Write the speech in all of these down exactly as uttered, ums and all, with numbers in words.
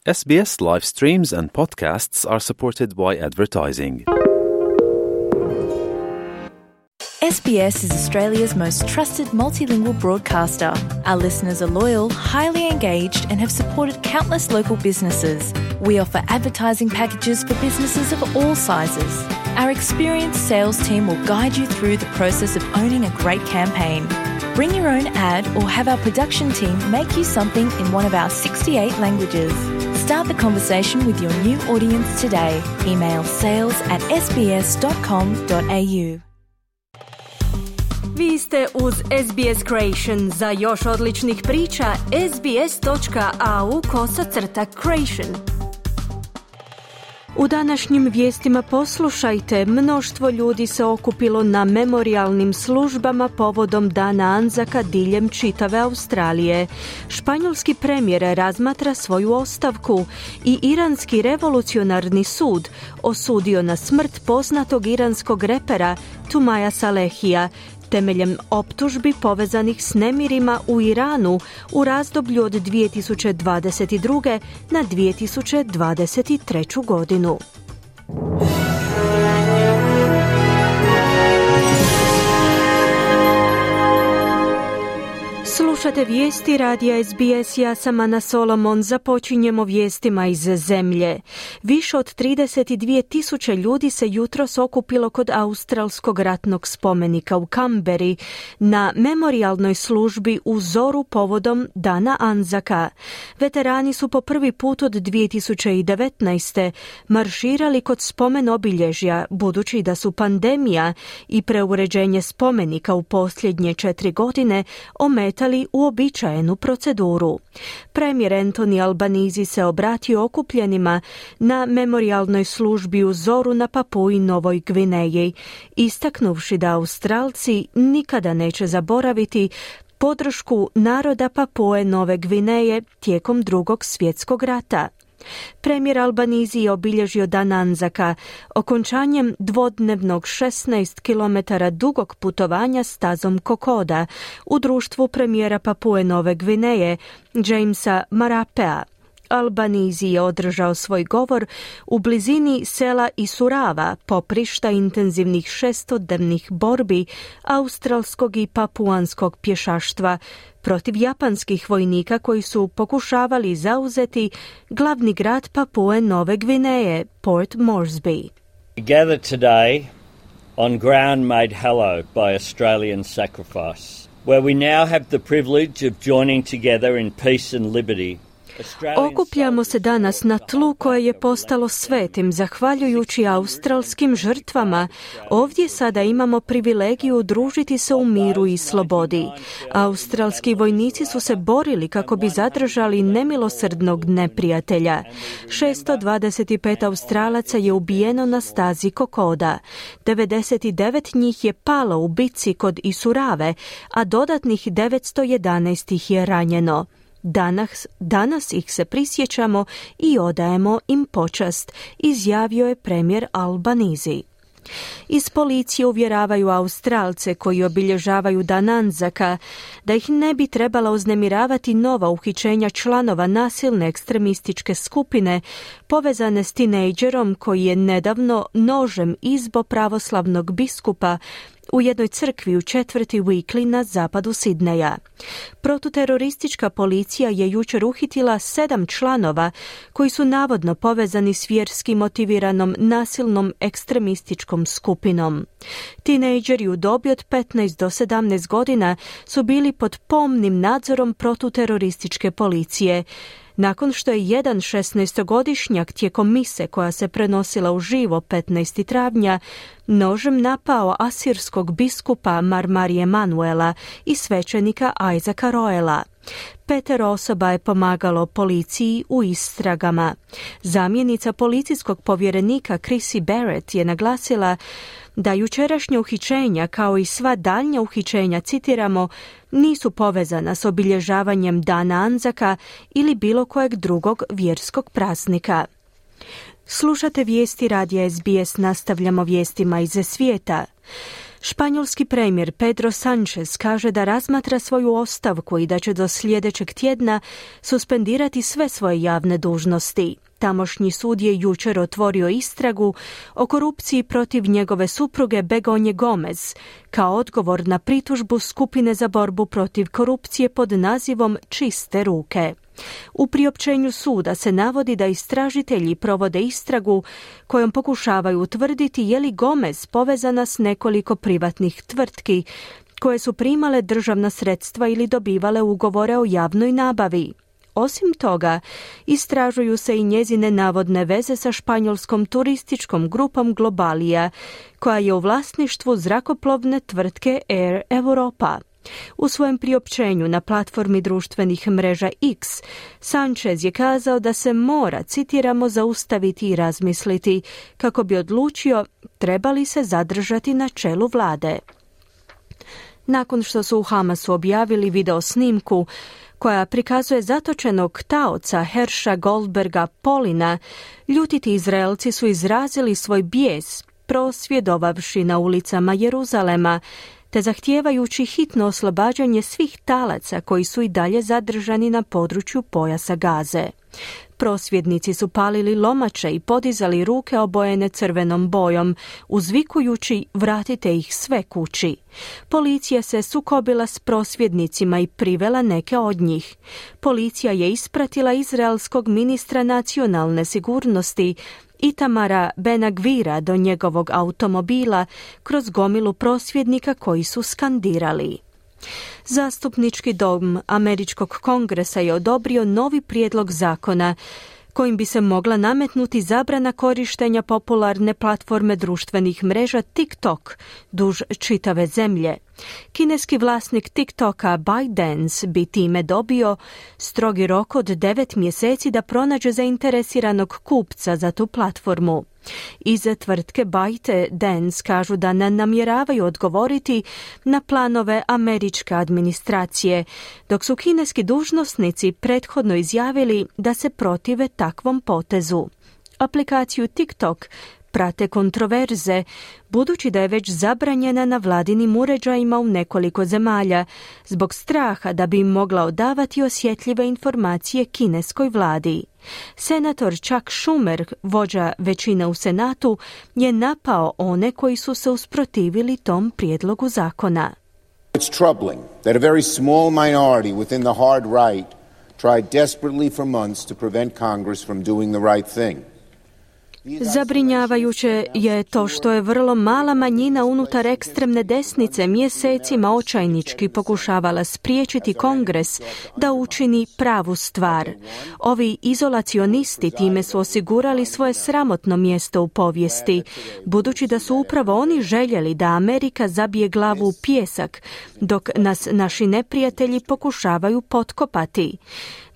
S B S live streams and podcasts are supported by advertising. S B S is Australia's most trusted multilingual broadcaster. Our listeners are loyal, highly engaged, and have supported countless local businesses. We offer advertising packages for businesses of all sizes. Our experienced sales team will guide you through the process of owning a great campaign. Bring your own ad or have our production team make you something in one of our sixty-eight languages. Start the conversation with your new audience today. Email sales at s b s dot com dot a u. Vi ste uz S B S Creation. Za još odličnih priča, sbs.au kosacrta Creation. U današnjim vijestima poslušajte, mnoštvo ljudi se okupilo na memorijalnim službama povodom Dana Anzaka diljem čitave Australije. Španjolski premijer razmatra svoju ostavku i Iranski revolucionarni sud osudio na smrt poznatog iranskog repera Tumaja Salehija temeljem optužbi povezanih s nemirima u Iranu u razdoblju od dvije tisuće dvadeset druge. na dvije tisuće dvadeset treću. godinu. Slušate vijesti radija S B S, ja sam Ana Solomon. Započinjemo vijestima iz zemlje. Više od trideset dvije tisuće ljudi se jutros okupilo kod australskog ratnog spomenika u Kamberi na memorijalnoj službi u zoru povodom Dana Anzaka. Veterani su po prvi put od dvije tisuće devetnaeste. marširali kod spomen obilježja, budući da su pandemija i preuređenje spomenika u posljednje četiri godine ometali uobičajenu proceduru. Premijer Anthony Albanese se obratio okupljenima na memorijalnoj službi u zoru na Papui Novoj Gvineji, istaknuvši da Australci nikada neće zaboraviti podršku naroda Papue Nove Gvineje tijekom Drugog svjetskog rata. Premijer Albanese je obilježio Dan Anzaka okončanjem dvodnevnog šesnaest kilometara dugog putovanja stazom Kokoda u društvu premijera Papue Nove Gvineje Jamesa Marapea. Albanese je održao svoj govor u blizini sela Isurava, poprišta intenzivnih šestodnevnih borbi australskog i papuanskog pješaštva protiv japanskih vojnika koji su pokušavali zauzeti glavni grad Papue Nove Gvineje, Port Moresby. We gather today on ground made hallowed by Australian sacrifice, where we now have the privilege of joining together in peace and liberty. Okupljamo se danas na tlu koje je postalo svetim zahvaljujući australskim žrtvama. Ovdje sada imamo privilegiju družiti se u miru i slobodi. Australski vojnici su se borili kako bi zadržali nemilosrdnog neprijatelja. šesto dvadeset pet Australaca je ubijeno na stazi Kokoda. devedeset devet njih je palo u bitci kod Isurave, a dodatnih devetsto jedanaest ih je ranjeno. Danas, danas ih se prisjećamo i odajemo im počast, izjavio je premijer Albanese. Iz policije uvjeravaju Australce koji obilježavaju Dan Anzaka da ih ne bi trebala uznemiravati nova uhićenja članova nasilne ekstremističke skupine povezane s tinejdžerom koji je nedavno nožem izbo pravoslavnog biskupa u jednoj crkvi u četvrti Weekly na zapadu Sidneja. Protuteroristička policija je jučer uhitila sedam članova koji su navodno povezani s vjerski motiviranom nasilnom ekstremističkom skupinom. Tinejdžeri u dobi od petnaest do sedamnaest godina su bili pod pomnim nadzorom protuterorističke policije, nakon što je jedan šesnaestogodišnjak tijekom mise koja se prenosila uživo petnaestog travnja nožem napao asirskog biskupa Marmarije Manuela i svećenika Isaaca Roela. Petero osoba je pomagalo policiji u istragama. Zamjenica policijskog povjerenika Chrissy Barrett je naglasila da jučerašnje uhićenja, kao i sva daljnja uhićenja, citiramo, nisu povezana s obilježavanjem Dana Anzaka ili bilo kojeg drugog vjerskog praznika. Slušate vijesti radija S B S, nastavljamo vijestima iz svijeta. Španjolski premijer Pedro Sánchez kaže da razmatra svoju ostavku i da će do sljedećeg tjedna suspendirati sve svoje javne dužnosti. Tamošnji sud je jučer otvorio istragu o korupciji protiv njegove supruge Begonje Gomez kao odgovor na pritužbu skupine za borbu protiv korupcije pod nazivom Čiste ruke. U priopćenju suda se navodi da istražitelji provode istragu kojom pokušavaju utvrditi je li Gomez povezana s nekoliko privatnih tvrtki koje su primale državna sredstva ili dobivale ugovore o javnoj nabavi. Osim toga, istražuju se i njezine navodne veze sa španjolskom turističkom grupom Globalia, koja je u vlasništvu zrakoplovne tvrtke Air Europa. U svojem priopćenju na platformi društvenih mreža X, Sánchez je kazao da se mora, citiramo, zaustaviti i razmisliti kako bi odlučio treba li se zadržati na čelu vlade. Nakon što su u Hamasu objavili video snimku koja prikazuje zatočenog taoca Herša Goldberga Polina, ljutiti Izraelci su izrazili svoj bijes prosvjedovavši na ulicama Jeruzalema, te zahtijevajući hitno oslobađanje svih talaca koji su i dalje zadržani na području pojasa Gaze. Prosvjednici su palili lomače i podizali ruke obojene crvenom bojom, uzvikujući vratite ih sve kući. Policija se sukobila s prosvjednicima i privela neke od njih. Policija je ispratila izraelskog ministra nacionalne sigurnosti Itamara Ben-Gvira do njegovog automobila kroz gomilu prosvjednika koji su skandirali. Zastupnički dom Američkog kongresa je odobrio novi prijedlog zakona kojim bi se mogla nametnuti zabrana korištenja popularne platforme društvenih mreža TikTok duž čitave zemlje. Kineski vlasnik TikToka ByteDance bi time dobio strogi rok od devet mjeseci da pronađe zainteresiranog kupca za tu platformu. Iz tvrtke ByteDance kažu da ne namjeravaju odgovoriti na planove američke administracije, dok su kineski dužnosnici prethodno izjavili da se protive takvom potezu. Aplikaciju TikTok prate kontroverze, budući da je već zabranjena na vladinim uređajima u nekoliko zemalja, zbog straha da bi im mogla odavati osjetljive informacije kineskoj vladi. Senator Chuck Schumer, vođa većine u Senatu, je napao one koji su se usprotivili tom prijedlogu zakona. It's troubling that a very small minority within the hard right tried desperately for months to prevent Congress from doing the right thing. Zabrinjavajuće je to što je vrlo mala manjina unutar ekstremne desnice mjesecima očajnički pokušavala spriječiti Kongres da učini pravu stvar. Ovi izolacionisti time su osigurali svoje sramotno mjesto u povijesti, budući da su upravo oni željeli da Amerika zabije glavu u pijesak, dok nas naši neprijatelji pokušavaju potkopati.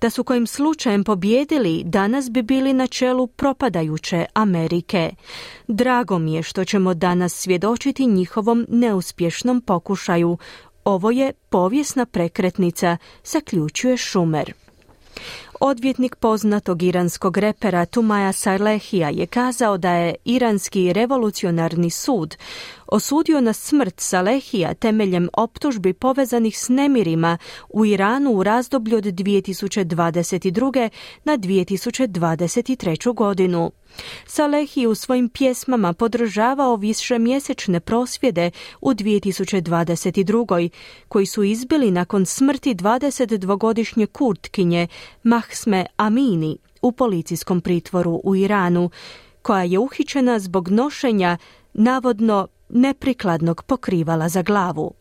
Da su kojim slučajem pobijedili, danas bi bili na čelu propadajuće Amerike. Drago mi je što ćemo danas svjedočiti njihovom neuspješnom pokušaju. Ovo je povijesna prekretnica, zaključuje Schumer. Odvjetnik poznatog iranskog repera Tumaja Salehija je kazao da je iranski revolucionarni sud osudio na smrt Salehija temeljem optužbi povezanih s nemirima u Iranu u razdoblju od dvije tisuće dvadeset druge na dvije tisuće dvadeset treću godinu. Salehi u svojim pjesmama podržavao višemjesečne prosvjede u dvije tisuće dvadeset drugoj koji su izbili nakon smrti dvadesetdvogodišnje Kurtkinje Mahsme Amini u policijskom pritvoru u Iranu, koja je uhićena zbog nošenja navodno neprikladnog pokrivala za glavu.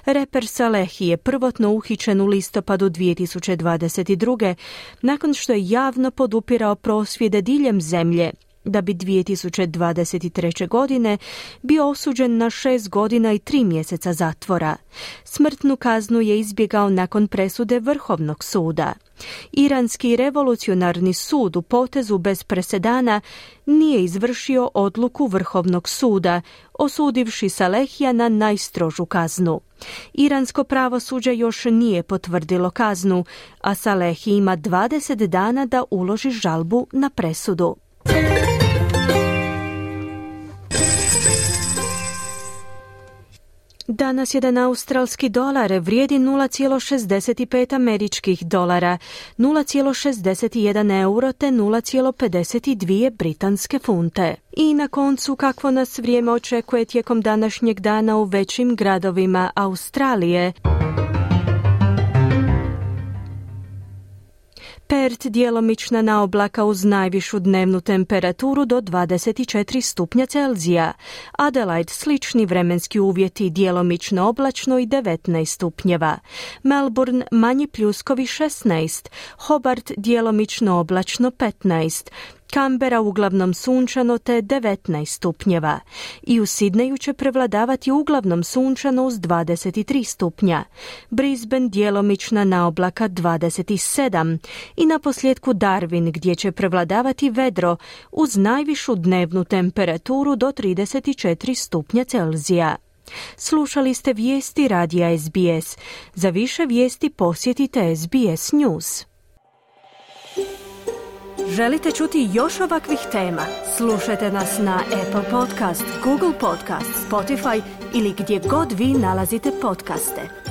Reper Salehi je prvotno uhićen u listopadu dvije tisuće dvadeset druge nakon što je javno podupirao prosvjede diljem zemlje, da bi dvije tisuće dvadeset treće godine bio osuđen na šest godina i tri mjeseca zatvora. Smrtnu kaznu je izbjegao nakon presude Vrhovnog suda. Iranski revolucionarni sud u potezu bez presedana nije izvršio odluku Vrhovnog suda, osudivši Salehija na najstrožu kaznu. Iransko pravosuđe još nije potvrdilo kaznu, a Salehi ima dvadeset dana da uloži žalbu na presudu. Danas jedan australski dolar vrijedi nula zarez šezdeset pet američkih dolara, nula zarez šezdeset jedan euro te nula zarez pedeset dva britanske funte. I na koncu, kakvo nas vrijeme očekuje tijekom današnjeg dana u većim gradovima Australije. Perth djelomična naoblaka uz najvišu dnevnu temperaturu do dvadeset četiri stupnja Celzija. Adelaide slični vremenski uvjeti, djelomično oblačno i devetnaest stupnjeva. Melbourne manji pljuskovi šesnaest, Hobart djelomično oblačno petnaest. Canberra uglavnom sunčano te devetnaest stupnjeva. I u Sidneju će prevladavati uglavnom sunčano uz dvadeset tri stupnja. Brisbane djelomična naoblaka dvadeset sedam. I na posljedku Darwin gdje će prevladavati vedro uz najvišu dnevnu temperaturu do trideset četiri stupnja Celzija. Slušali ste vijesti radija S B S. Za više vijesti posjetite S B S News. Želite čuti još ovakvih tema? Slušajte nas na Apple Podcast, Google Podcast, Spotify ili gdje god vi nalazite podcaste.